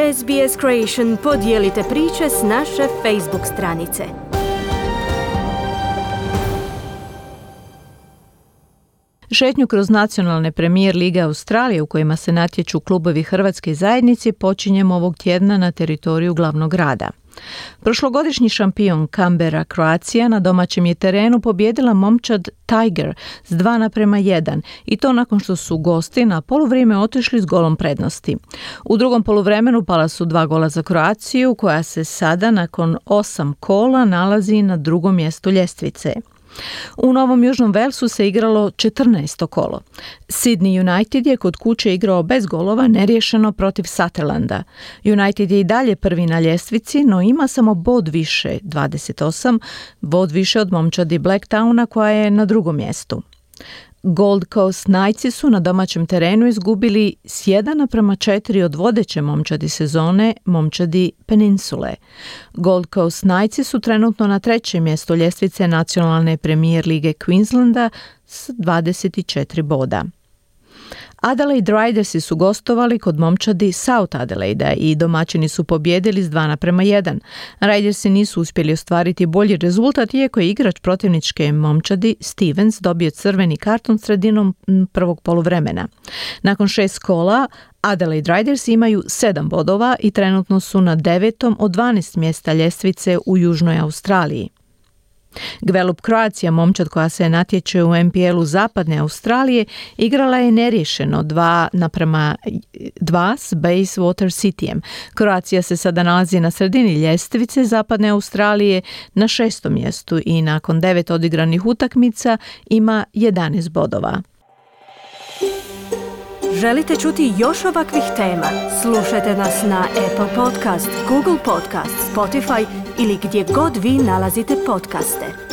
SBS Creation podijelite priče s naše Facebook stranice. Šetnju kroz nacionalne premijer lige Australije u kojima se natječu klubovi hrvatske zajednice počinjemo ovog tjedna na teritoriju glavnog grada. Prošlogodišnji šampion Canberra Croatia na domaćem je terenu pobijedila momčad Tiger s 2:1 i to nakon što su gosti na poluvrijeme otišli s golom prednosti. U drugom poluvremenu pala su 2 gola za Kroaciju koja se sada nakon 8 kola nalazi na drugom mjestu ljestvice. U Novom Južnom Velsu se igralo 14. kolo. Sydney United je kod kuće igrao bez golova neriješeno protiv Sutherlanda. United je i dalje prvi na ljestvici, no ima samo bod više, 28, bod više od momčadi Blacktowna koja je na drugom mjestu. Gold Coast Knightsi su na domaćem terenu izgubili s 1:4 od vodeće momčadi sezone, momčadi Peninsule. Gold Coast Knightsi su trenutno na 3. mjestu ljestvice nacionalne premijer lige Queenslanda s 24 boda. Adelaide Ridersi su gostovali kod momčadi South Adelaide i domaćini su pobijedili s 2:1. Ridersi nisu uspjeli ostvariti bolji rezultat iako je igrač protivničke momčadi Stevens dobio crveni karton sredinom prvog poluvremena. Nakon 6 kola Adelaide Riders imaju 7 bodova i trenutno su na 9. od 12 mjesta ljestvice u Južnoj Australiji. Gvelup Croatia, momčad koja se natječe u NPL-u Zapadne Australije, igrala je neriješeno 2:2 s Bayswater Cityjem. Croatia se sada nalazi na sredini ljestvice Zapadne Australije na 6. mjestu i nakon 9 odigranih utakmica ima 11 bodova. Želite čuti još ovakvih tema? Slušajte nas na Apple Podcast, Google Podcast, Spotify ili gdje god vi nalazite podcaste.